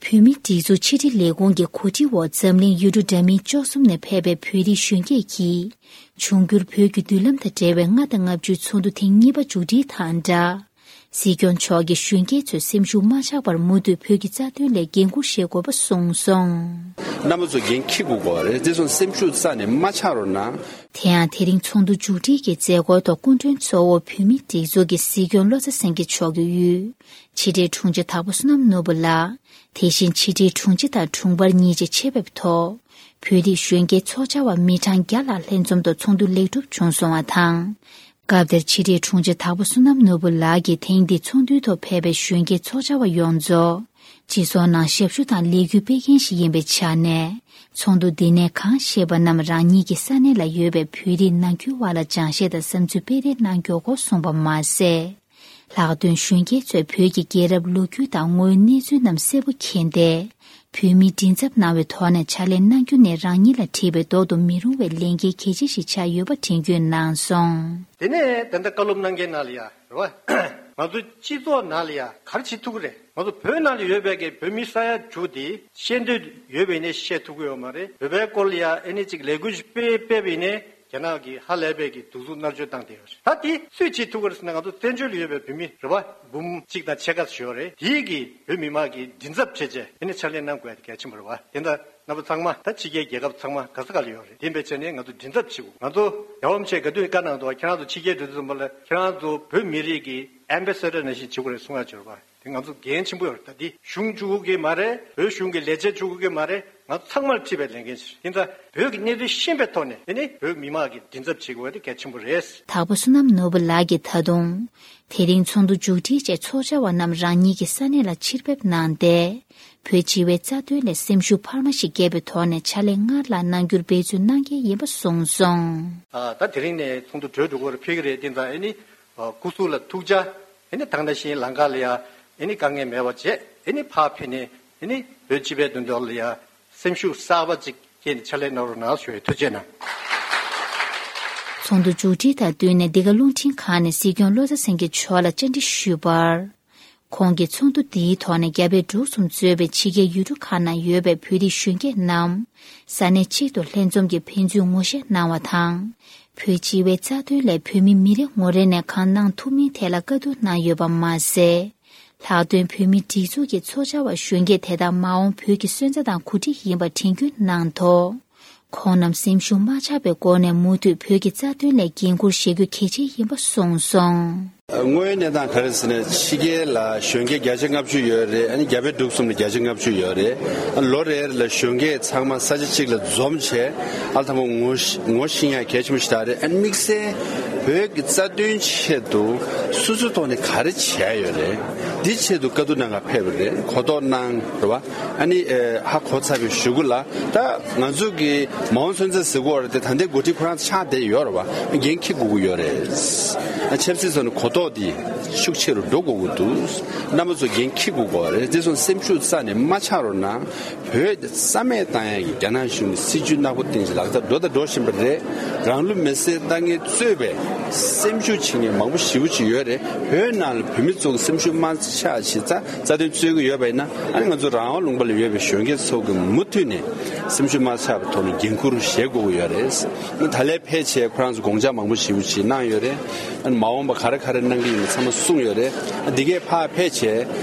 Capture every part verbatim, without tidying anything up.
བོད་མིའི་སྒྲིག་འཛུགས་ཕྱི་དྲིལ་ལས་ཁུངས་ཀྱི་གོ་སྒྲིག་འོག་འཛམ་གླིང་ཡུལ་གྲུ་འདྲ་མིན་བཅུ་གསུམ་ནས་ཕེབས་པའི་བོད་རིགས་གཞོན་སྐྱེས་ཀྱིས་འབྱུང་འགྱུར་བོད་ཀྱི་མདུན་ལམ་དང་འབྲེལ་བའི་ལྔ་དང་ལྔ་བཅུའི་ཚོགས་འདུ་ཐེངས་གཉིས་པ་མཇུག་སྒྲིལ་དང་སྦྲགས། སྲིད་སྐྱོང་མཆོག་གིས་གཞོན་སྐྱེས་ཚོས་སེམས་ཤུགས་མ་ཆག་པར་མུ་མཐུད་བོད་ཀྱི་རྩ་དོན་སླད་འགན་འཁུར་བཞེས་དགོས་པ་གསུངས་སོང་། རྣམ་པ་ཚོ་འགན་འཁྱེར་དགོས་ཀྱི་རེད། དེ་སོང་སེམས་ཤུགས་རྩ་ནས་མ་ཆག་རོགས་གནང་། དེ་ཡང་དེ་རིང་ཚོགས་འདུ་མཇུག་སྒྲིལ་གྱི་མཛད་སྒོའི་ཐོག་སྐུ་མགྲོན་གཙོ་བོ་བོད་མིའི་སྒྲིག་འཛུགས་ཀྱི་སྲིད་སྐྱོང་བློ་བཟང་སེང་གེ་མཆོག་གིས་དབུས་ཕྱི་དྲིལ་དྲུང་ཆེ་དྭགས་པོ་བསོད་ནམས་ནོར་བུ་ལགས། དེ་བཞིན་ཕྱི་དྲིལ་དྲུང་ཆེ་དང་དྲུང་འཕར་གཉིས་བཅས་ཆེད་ཕེབས་ཐོག་བོད་རིགས་གཞོན་སྐྱེས་ཚོགས་བཅར་བ་མི་གྲངས་བརྒྱ་ལྷག་ལྷན་འཛོམས་ཐོག་ཚོགས་འདུ་ལེགས་གྲུབ་བྱུང་སོང་བ་དང་། སྐབས་དེར་ཕྱི་དྲིལ་དྲུང་ཆེ་དྭགས་པོ་བསོད་ནམས་ནོར་བུ་ལགས་ཀྱིས་ཐེངས་འདིའི་ཚོགས་འདུའི་ཐོག་ཕེབས་པའི་གཞོན་སྐྱེས་ཚོགས་བཅར་བ་ཡོངས་རྫོགས་སྤྱི་ཚོགས་ནང་ཞབས་ཞུ་དང་ལས་འགུལ་སྤེལ་མཁན་ཞིག་ཡིན་པའི་ཆ་ནས། ཚོགས་འདུ་འདི་ནས་གང་བཤད་པ་རྣམས་རང་ཉིད་ཀྱི་ས་གནས་ལ་ཡོད་པའི་བོད་རིགས་ནང་ཁུལ་བར་ལ་སྦྱང་བཤད་དང་བསམ་ཚུལ་སྤེལ་རེས་གནང་མགྱོགས་སྐོར་གསུངས་པ་མ་ཟད། ལྷག་དོན་གཞོན་སྐྱེས་ཚོས་བོད་ཀྱི་རྒྱལ་རབས་ལོ་རྒྱུས་དང་དངོས་ཡོད་གནས་ཚུལ་རྣམས་གསལ་པོ་མཁྱེན་ཏེ། བོད་མིའི་མགྲིན་ཚབ་གནང་བའི་ཐོག་ནས་ཕྱག་ལས་གནང་རྒྱུ་ནི་རང་ཉིད་ལ་འཁྲི་བའི་ལྡོག་ཏུ་མི་རུང་བའི་ལས་འགན་གལ་ཆེ་ཞིག་ཆགས་ཡོད་པ་དྲན་སྐུལ་གནང་སོང་། དེ་ནས་ད་ལྟ་བཀའ་སློབ་གནང་མཁན་ནང་ལ་ཡ་རེད་བ། ང་ཚོ་སྤྱི་ཚོགས་ནང་ལ་ཡ་ག་རེ་བྱེད་ཐུབ་ཀྱི་རེད། ང་ཚོ་བོད་ནང་ལ་ཡོད་པའི་གི་བོད་མི་ས་ཡ་དྲུག་དེ་ཤེས་འདོད་ཡོད་པ་ཡིན་ནའི་བཤད་ཐུབ་ཀྱི་ཡོད་མ་རེད། བོད་པའི་སྐོར་ལ་ཡ་ཨེ་ནི་ཅིག་ལས་འགུལ་ཞིག་སྤེལ་སྤེལ་བ་ཡིན་ནའི། རྒྱ་ནག་གིས་ཧ་ལས་པའི་གི་གདུག་རྩུབ་མནར་གཅོད་བཏང་བསྡད་ཡོད་རེད། ད་དེ་སུས་བྱེད་ཐུབ་ཀྱི་རེད་ཟེར་ན། ང་ཚོ་བཙན་བྱོལ་ལ་ཡོད་པའི་བོད་མི་རེད་བ། འབུམ་གཅིག་དང་ཕྱེད་ཀ་ཙམ་ཡོད་རེད། དེའི་གི་བོད་མི་མང་གི་མགྲིན་ཚབ་བྱས་བྱས་ཨེ་ནི་ཕྱག་ལས་གནང་དགོས་ཡ་དེ་གལ་ཆེན་པོ་རེད་བ། དེ་འདྲ་རྣམ་པ་ཚང་མ་ད་ཕྱི་རྒྱལ་རྒྱལ་ཁབ་ཚང་མ་ག་ས་ག་ལ་ཡོད་རེད། དེ་འབད་བྱས་ནས་ང་ཚོ་མགྲིན་ཚབ་བྱེད་དགོས། ང་ཚོ་རྒྱལ་བ་རིན་པོ་ཆེས་ག་དུས་བཀའ་གནང་འདུག་ཁྱེད་རང་ཚོ་ཕྱི་རྒྱལ་འགྲོ་དུས་ཙམ་པ་ལ་ཁྱེད་རང་ཚོ་བོད་མི་རིགས་ཀྱི་ཨེམ་བེ་སེ་ཌར་ནང་བཞིན་བྱེད་དགོས་རེད་གསུང་ཡ་ཅིག་ཡོད་རེད་བ། དེ་ང་ཚོ་འགན་ཆེན་པོ་ཡོད་རེད། ད་འདི་གཞུང་བཅུག་གི་མ་རེད། བོད་གཞུང་གི་ལས་བྱེད་བཅུག་གི་མ་རེད། ང་ཚང་མར་འཁྲི་བའི་ལས་འགན་ཞིག་རེད། ཡིན་ཙང་བོད་ཀྱི་གནད་དོན་ཤེས་པའི་ཐོག་ནས་དེ་ནི་བོད་མི་མང་གི་མགྲིན་ཚབ་བྱེད་དགོས་པ་དེ་གལ་ཆེན་པོ་རེད། དྭགས་པོ་བསོད་ནམས་ནོར་བུ་ལགས་ཀྱིས་ད་དུང་། དེ་རིང་ཚོགས་འདུ་མཇུག་སྒྲིལ་རྗེས་ཚོགས་བཅར་བ་རྣམས་རང་ཉིད་ཀྱི་ས་གནས་ལ་ཕྱིར་ཕེབས་གནང་སྟེ། བོད་སྤྱི་བའི་རྩ་དོན་ལ་སེམས་ཤུགས་འཕར་མ་ཞིག་བསྐྱེད་པའི་ཐོག་ནས་ཕྱག་ལས་སྔར་ལྷག་གནང་རྒྱུར་འབད་བརྩོན་གནང་གལ་ཡིན་པ་གསུངས་སོང་། ཨ། ད་དེ་རིང་ནས་ཚོགས་འདུ་གྲོལ་འགྲོ་གི་རེད། ཕེབས་ཀྱི་རེད། དེ་ཙང་ཨེ་ནི། ཨ། སྐུ་གཟུགས་ལ་ཐུགས་ཅག་ཨེ་ནི་ད་ག་ནང་བཞིན་ལམ་ཁ་ལ་ཡ་ཨེ་ནི་དཀའ་ངལ་མེད་པ་བྱས། ཨེ་ནི་ཕར་ཕེབས་ནས་ཨེ་ནི་བོད་སྤྱི་པའི་དོན་དག་ལ་ཡ་སེམས་ཤུགས་གསར་པ་ཅིག་སྐྱེས་ནས་ཕྱག་ལས་གནང་རོགས་གནང་ཞུ་ཡི། ཐུགས་རྗེ་གནང་། ཚོགས་འདུ་མཇུག་སྒྲིལ་དང་བསྟུན་ནས་འདི་ག་རླུང་འཕྲིན་ཁང་ནས་སྲིད་སྐྱོང་བློ་བཟང་སེང་གེ་མཆོག་ལ་བཅར་འདྲི་ཞུས་པར། ཁོང་གིས་ཚོགས་འདུ་འདིའི་ཐོག་ནས་རྒྱ་བལ་འབྲུག་གསུམ་གཙོས་པའི་ཕྱི་རྒྱལ་ཡུལ་གྲུ་ཁག་ནང་ཡོད་པའི་བོད་རིགས་གཞོན་སྐྱེས་རྣམས་ས་གནས་གཅིག་ཏུ་ལྷན་འཛོམས་ཀྱིས་ཕན་ཚུན་ངོ་ཤེས་གནང་བ་དང་། བོད་སྤྱི་བའི་རྩ་དོན་སླད་བོད་མི་མི་རེ་ངོ་རེ་ནས་གང་གནང་ཐུབ་མིན་ཐད་ལ་བཀའ་བསྡུར་གནང་ཡོད་པ་མ་ཟད། ལྷག་དོན་བོད་མིའི་སྒྲིག་འཛུགས་ཀྱི་ཚོགས་བཅར་བ་གཞོན་སྐྱེས་དེ་དག་མ་འོངས་བོད་ཀྱི་སོན་རྩ་དང་གོ་སྒྲིག་ཡིན་པ་དྲན་སྐུལ་གནང་ཐོག་ཁོང་རྣམས་སེམས་ཤུགས་མ་ཆག་པའི་སྒོ་ནས་མུ་མཐུད་བོད་ཀྱི་རྩ་དོན་སླད་འགན་འཁུར་བཞེས་རྒྱུ་གལ་ཆེ་ཡིན་པ་གསུངས་སོང་། དངོས་ཡོད་གནས་སྟངས་ག་རེ་ཟེར་ན། ཕྱི་རྒྱལ་ལ་གཞོན་སྐྱེས་བརྒྱ་ཆ་ལྔ་བཅུ་ཡོད་རེད། ཨ་ནི་རྒྱ་བལ་འབྲུག་གསུམ་ལ་བརྒྱ་ཆ་ལྔ་བཅུ་ཡོད་རེད། ཨ། ལོ་རེ་རེ་ལ་གཞོན་སྐྱེས་ཚང་མ་ས་ཆ་གཅིག་ལ་འཛོམས་བྱས། ཨ། དང་པོ་ངོ་ཤེས་ངོ་ཤེས་ཡ་གལ་ཆེན་པོ་ཞིག་ད་རེད། ཨ་ནི་དམིགས་བསལ་བོད་ཀྱི་རྩ་དོན་ཆེད་དུ་སོ་སོའི་ཐོག་ནས་ག་རེ་བྱས་ཡོད་རེད། འདི་ཆེད་དུ་བཀའ་བསྡུར་གནང་ག་ཕེབས་པ་རེད། གོ་རྟོགས་གནང་རེད་བ། ཨ་ནི། ཨེ། ཧ་གོ་ཚར་བའི་གཞུག་གུ་ལ་ད་ང་ཚོ་གི་མ་འོངས་སོན་རྩ་ཟེར་གོ་རེད་དེ། ད་ལྟའི་འགོ་ཁྲིད་ཁོ་རང་ཆགས་བསྡད་ཡོད་རེད་བ། འགན་འཁྱེར་དགོས་ཀྱི་ཡོད་རེད། ཨ། ཆབ་སྲིད་ཐོག་ནས་གོ་རྟོགས་འདི་ཤུགས་ཆེ་རུ་འགྲོ་དགོས་ཀྱི་འདུག་རྣམ་པ་ཚོ་འགན་འཁྱེར་དགོས་ཀྱི་རེད། དེ་སོང་སེམས་ཤུགས་རྩ་ནས་མ་ཆག་རོགས་གནང་། བོད་རྩ་མེད་བཏང་ཡག་གི་རྒྱ་ནག་གཞུང་གི་སྲིད་ཇུས་ནག་པོ་སྟེང་ལག་བསྟར་འགྲོ་དང་འགྲོ་བཞིན་པ་རེད། རང་ལུས་མེར་སྲེག་བཏང་མཁན་གཙོས་པའི་སེམས་ཤུགས་ཆེ་མཁན་མང་པོ་ཞེ་པོ་ཅིག་ཡོད་རེད། བོད་ནང་ལ་བོད་མི་ཚོ་གི་སེམས་ཤུགས་མ་ཆག་བྱས་ཙང་རྩ་དོན་རྩོད་ཀྱི་ཡོད་པ་ཡིན་ན། ཨ་ནི་ང་ཚོ་རང་དབང་ལུང་པ་ལ་ཡོད་པའི་གཞོན་སྐྱེས་ཚོ་གི་མུ་མཐུད་ནས་སེམས་ཤུགས་མ་ཆག་པའི་ཐོག་ནས་འགན་འཁུར་བཞེས་དགོས་ཀྱི་ཡོད་རེད། ཨ་ནི་ད་ལས་ཕལ་ཆེར་ཁོ་རང་ཚོ་དགོངས་འཆར་མང་པོ་ཞེ་པོ་ཅིག་གནང་ཡོད་རེད། ཨ་ནི་མ་འོངས་པ་ག་རེ་ག་རེ་གནང་གི་ཡིན་པ་ཚང་མ་གསུངས་ཡོད་རེད། ཨ། འདི་གས་ཕར་ཕལ་ཆེར་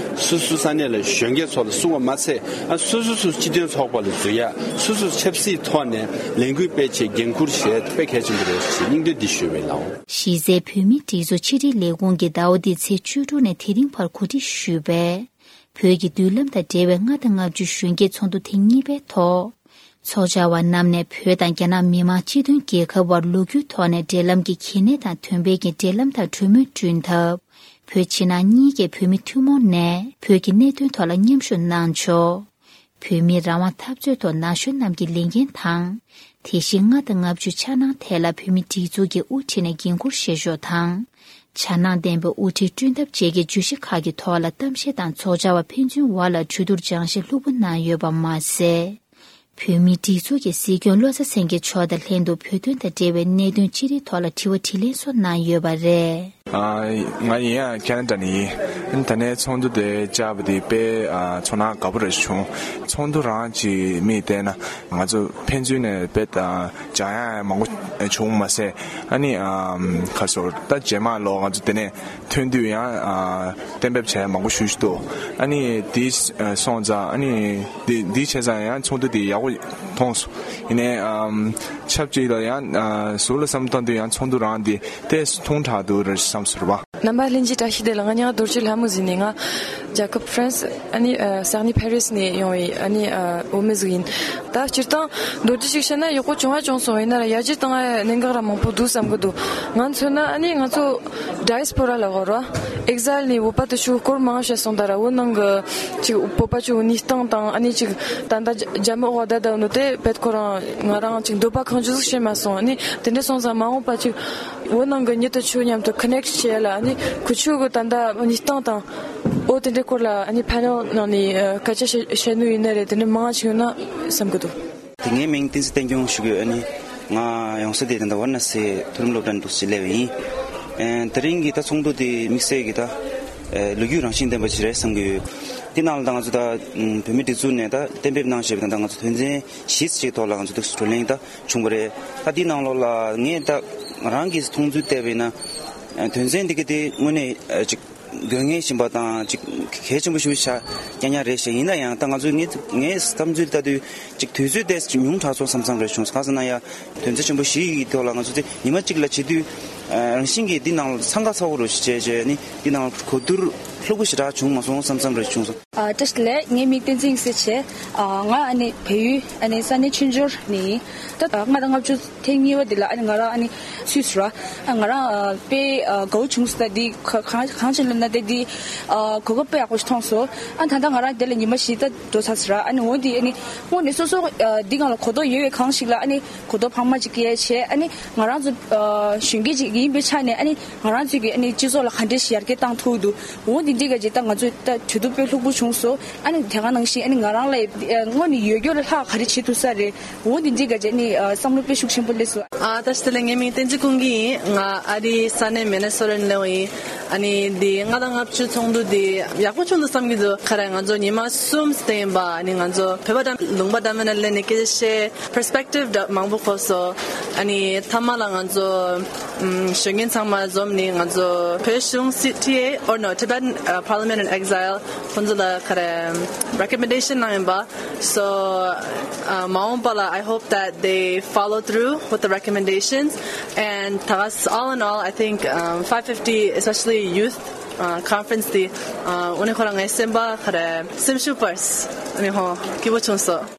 སོ་སོ་ས་གནས་ལ་གཞོན་སྐྱེས་ཚོ་ལ་གསུངས་པ་མ་ཚད། ཨ། སོ་སོ་སོ་སྤྱི་མཐུན་ཚོགས་པ་ལ་འཛུལ་ཡག་སོ་སོ་ཆབ་སྲིད་ཐོག་ནས་ལས་འགུལ་སྤེལ་ཆེད་འགན་འཁུར་བཞེས་དཔེ་གལ་ཆེན་པོ་རེད་ཞེས་སྙིང་འདོད་འདི་ཞུས་པ་ཡིན་ལགས། གཞི་རྩའི་བོད་མིའི་སྒྲིག་འཛུགས་ཕྱི་དྲིལ་ལས་ཁུངས་ཀྱིས་ཟླ་བ་འདིའི་ཚེས་བཅུ་དྲུག་ནས་དེ་རིང་བར་གོ་སྒྲིག་ཞུས་པའི་བོད་ཀྱི་མདུན་ལམ་དང་འབྲེལ་བའི་ལྔ་དང་ལྔ་བཅུའི་གཞོན་སྐྱེས་ཚོགས་འདུ་ཐེངས་གཉིས་པའི་ཐོག་ཚོགས་བཅར་བ་རྣམས་ནས་བོད་དང་རྒྱ་ནག་མི་དམངས་སྤྱི་མཐུན་རྒྱལ་ཁབ་དབར་ལོ་རྒྱུས་ཐོག་ནས་འབྲེལ་ལམ་གྱི་གལ་གནད་དང་དོན་ཕན་གྱི་འབྲེལ་ལམ་དང་གྲོས་མོལ་བསྐྲུན་ཐབས། བོད་ཕྱི་ནང་གཉིས་ཀའི་བོད་མི་ཐུན་མོང་ནས་བོད་ཀྱི་གནད་དོན་ཐོག་ལ་མཉམ་ཞུགས་གནང་ཕྱོགས། བོད་མིའི་རང་དབང་འཐབ་རྩོད་ཐོག་ན་གཞོན་རྣམས་ཀྱི་ལས་འགན་དང་། དེ་བཞིན་ལྔ་དང་ལྔ་བཅུའི་འཆར་སྣང་ཐད་ལ་བོད་མིའི་སྒྲིག་འཛུགས་ཀྱི་དབུ་ཁྲིད་ནས་འགན་འཁུར་བཞེས་ཕྱོགས་དང་། འཆར་སྣང་ལྡན་པའི་དབུ་ཁྲིད་བསྐྲུན་ཐབས་བཅས་ཀྱི་བརྗོད་གཞི་ཁག་གི་ཐོག་ལ་གཏམ་བཤད་དང་ཚོགས་བཅར་བ་ཕན་ཚུན་བར་ལ་གྲོས་བསྡུར་སྦྱང་བཤད་ལྷུག་པོ་གནང་ཡོད་པ་མ་ཟད། བོད་མིའི་སྒྲིག་འཛུགས་ཀྱི་སྲིད་སྐྱོང་བློ་བཟང་སེང་གེ་མཆོག་དང་ལྷན་དུ་བོད་དོན་དང་འབྲེལ་བའི་གནད་དོན་ཅི་རིགས་ཐོག་ལ་དྲི་བ་དྲིས་ལན་སོགས་གནང་ཡོད་པ་རེད། ང་ཡིན་ཡང་ཁེ་ན་ཌ་ནས་ཡིན། ད་ནས་ཚོགས་འདུ་དེ་བཅར་བ་དེ་དཔེ་ཚོར་སྣང་དགའ་པོ་རེ་བྱུང་། ཚོགས་འདུ་རང་གི་མིག་བལྟས་ན་ང་ཚོ་ཕན་ཚུན་ནས་དཔེ་སྦྱང་ཡ་མང་པོ་བྱུང་མ་ཟད། ཨ་ནི་ཁ་སོར་ད་རྗེས་མ་ལོ་ང་ཚོ་དེ་ནས་ཐོན་དུས་ཡང་གཏན་འབེབས་བྱས་མང་པོ་ཞུ་ཞུ་འདུག་ཨ་ནི་དེ་སོང་ཙང་ཨ་ནི་དེ་དེ་བྱས་ཙང་ཡང་ཚོགས་འདུ་དེ་ཡག་པོ་མཐོང་སོང་། ཡིན་ནའི་ཆབས་ཅིག་ལ་ཡང་ཟུར་ལ་བསམ་བཏང་དུས་ཡང་ཚོགས་འདུ་རང་དེ་ཏོག་ཙམ་ཐུང་དྲགས་འདུག་རེད་བསམ་སོང་བ། རྣམ་པ་ལྷན་རྒྱས་བཀྲ་ཤིས་བདེ་ལེགས། ང་མིང་རྡོ་རྗེ་ལྷ་མོ་ཟེར་ནས། ང་རྒྱལ་ཁབ་ཧྥ་རན་སི་ཨ་ནི་ས་གནས་ཕ་རི་སི་ནས་ཡོང་བའི་ཨ་ནི་བུད་མེད་ཟིག་ཡིན། ད་སྤྱིར་བཏང་མདོར་བསྡུས་ཤིག་བཤད་ན་ཡག་པོ་བྱུང་བ་བྱུང་སོང་། ཡིན་ན་ར་ཡར་རྒྱས་བཏང་ཡ་གནད་འགག་ར་མང་པོ་འདུག་བསམ་གི་འདུག་ང་མཚོན་ན་ཨ་ནི་ང་ཚོ་ཌའི་སི་པོ་ར་ལ་གོ་ར་ཨེག་ཟའིལ་ནས་བོད་པ་དེ་ཚོ་སྐོར་མང་བཤད་སོང་། ད་ར་བོད་ནང་གི་ཅིག་བོད་པ་ཚོའི་གནས་སྟངས་དང་ཨ་ནི་ཅིག་ད་ལྟ་རྒྱ་མི་འོག་བསྡད་བསྡད་ནོ་དེ་བེད་ཁོ་རང་ང་རང་ཅིག་འདོད་པ་གང་ཅི་ཟིག་བྱེད་མ་སོང་། ཨ་ནི་དེ་འདྲ་སོང་ཙང་མ་འོངས་པ་ཅིག་བོད་ནང་གི་མྱི་དེ་ཚོ་མཉམ་དུ་ཀ་ནེག་བྱེད་ཡ་ལ་ཨ་ནི་ཁོ་ཚོ་གི་ད་ལྟ་གནས་སྟངས་དང་འོ་དེ་འདྲའི་སྐོར་ལ་ཨ་ནི་ཕ་ནེལ་ནང་ནས་སྐད་ཆ་བཤད་བཤད་ནོ་ཡིན་ན་རེད། དེ་འདྲ་མང་ཞིག་ཡོང་ན་བསམ་གི་འདུག་དེ་ངའི་མིང་བསྟན་འཛིན་བསྟན་སྐྱོང་ཞུ་གི་ཡོད། ཨ་ནི་ང་ཡོང་ས་དེ་ད་ལྟ་ཝ་ར་ཎ་སི་མཐོ་རིམ་སློབ་གྲྭ་འདུག་སེ་སླེབས་པ་ཡིན། ཨེ་དེ་རིང་གི་ད་ཚོགས་འདུ་དེ་དམིགས་བསལ་གྱི་ད་ཨེ་ལོ་རྒྱུས་རང་བཞིན་ལྡན་པ་ཞིག་རེད་བསམ་གི་ཡོད། དེ་ནང་ལ་ད་ང་ཚོ་ད་བོད་མིའི་སྒྲིག་འཛུགས་ནས་ད་གཏན་འབེབས་གནང་བཞག་པའི་ད་ལྟ་ང་ཚོ་དོན་ཚན་བཞི་ཅིག་ཐོག་ལ་ང་ཚོ་འདུག་སེ་བགྲོ་གླེང་ད་བྱུང་བ་རེད། ད་དེ་ནང་ལོགས་ལ་ངས་ད་ང་རང་གི་མཐོང་ཚུལ་བལྟས་པ་ཡིན་ན་ཨེ་དོན་ཚན་འདི་ག་དེ་དངོས་གནས་ཨེ་ཅིག་དགོས་ངེས་ཡིན་པ་དང་ཅིག་གལ་ཆེན་པོ་ཞིག་ཆགས་ཉག་ཉག་རེད་ཤག་ཡིན་ན་ཡང་ད་ང་ཚོས་ངའི་ངའི་བསམ་ཚུལ་ལྟ་དུས་ཅིག་དུས་ཚོད་ཏོག་ཙམ་ཉུང་དྲགས་སོང་བསམ་བསམ་རེ་བྱུང་སོང་། གང་ཟེར་ན་ཡང་དོན་ཚན་ཆེན་པོ་བཞི་ཡི་ཐོག་ལ་ང་ཚོ་དེ་ཉི་མ་གཅིག་ལ་བྱེད་དུས་ཨ་རང་བཞིན་གྱིས་འདི་ནང་ལ་འཚང་ཁ་ཚ་བོ་རུ་བྱས་བྱས་ནི་འདི་ནང་ལ་གོ་བསྡུར་ལྷུག་པོ་ཞེ་དྲག་བྱུང་མ་སོང་བསམ་བསམ་རེ་བྱུང་སོང་། ཨ་བཀྲ་ཤིས་བདེ་ལེགས། ངའི་མིང་བསྟན་འཛིན་ཡེ་ཤེས་བྱས། ཨ་ང་ཨ་ནི་བལ་ཡུལ་ཨ་ནི་ས་གནས་ཆུ་འབྱོར་ནས་ཡིན། ད་ལྔ་དང་ལྔ་བཅུ་ཐེངས་གཉིས་པ་འདི་ལ་ཨ་ནི་ང་རང་ཨ་ནི་སུད་སི་ར་ཨ་ང་རང་ཨ་དཔེ་ཨ་དགའ་བོ་བྱུང་སོང་། ད་འདི་ག་གང་གང་བྱས་ལབ་ན་ད་འདི་ཨ་གོ་སྐབས་དཔེ་ཡག་པོ་ཞིག་མཐོང་སོང་། ཨ་ད་ལྟ་ང་རང་འདི་ལ་ཉི་མ་བཞི་ད་འགྲོ་ཚར་སོང་ར། ཨ་ནི་འོ་འདི་ཨ་ནི་དངོས་གནས་སོ་སོ་ཨ་འདི་སྒང་ལ་གོ་རྟོགས་ཡོད་པའི་གང་ཞིག་ལ་ཨ་ནི་གོ་རྟོགས་འཕར་མ་ཅིག་སྐྱེལ་བྱས། ཨ་ནི་ང་རང་ཚོ་ཨ་གཞོན་སྐྱེས་ཅིག་ཡིན་པའི་ཆ་ནས་ཨ་ནི་ང་རང་ཚོས་ཀྱི་ཨ་ནི་སྤྱི་ཚོགས་ལ་ག་འདྲས་ཤིག་ཡར་རྒྱས་བཏང་ཐུབ་འདུག་འོ་འདི་འདྲའི་ག་ཅིག་ད་ང་ཚོས་ད་གྲོས་བསྡུར་དཔེ་ལྷུག་པོ་བྱུང་སོང་། ཨ་ནི་དེ་ག་ནང་བཞིན་ཨ་ནི་ང་རང་ལ་ཨ་དངོས་གནས་ཡོད་རྒྱུ་ལ་ལྷག་ག་རེ་བྱེད་ཐུབ་ས་རེད། འོ་འདི་འདྲའི་ག་ཅིག་ཨ་ནི་ཨ་བསམ་བློ་དཔེ་ཤུགས་ཆེན་པོ་སླེབས་སོང་། ཨ་བཀྲ་ཤིས་བདེ་ལེགས། ངའི་མིང་བསྟན་འཛིན་ཀུན་དགའ་ཡིན། ང་ཨ་རིའི་ས་གནས་མི་ནི་སོ་ཊ་ནས་སླེབས་པ་ཡིན། ཨ་ནི་འདི་ལྔ་དང་ལྔ་བཅུ་ཚོགས་འདུ་འདི་ཡག་པོ་བྱུང་འདུག་བསམ་གྱི་འདུག་ག་རེ་ང་ཚོ་ཉི་མ་གསུམ་ཙམ་ཡིན་པ། ཨ་ནི་ང་ཚོ་བོད་པ་འདྲ་ལུང་པ་འདྲ་མིན་ནས་སླེབས་ནས་སྐད་ཆ་བཤད། པར་སི་པེག་ཊིབ་འདྲ་མང་པོ་གོ་སོང་། ཨ་ནི་མཐའ་མ་ལ་ང་ཚོ་ཨམ་གཞོན་སྐྱེས་ཚང་མ་འཛོམས་ནས་ང་ཚོ་བོད་གཞུང་སི་ཊི་ཨེ་or no Tibetan uh, Parliament in Exile ཁོང་ཚོ་ལ་ག་རེ་རེ་ཀོ་མེན་ཌེ་ཤན་གནང་ཡིན་པ། So uh, མ་འོངས་པ་ལ་I hope that they follow through with the recommendations and ད་ག་all in all I think um, five fifty, especially youth uh, conference དེ་uh, དངོས་གནས་ཁོ་རང་ངའི་སེམས་པ་ག་རེ་སེམས་ཤུགས་སྤར། ཨ་ནི་ཧོ་སྐྱིད་པོ་བྱུང་སོང་།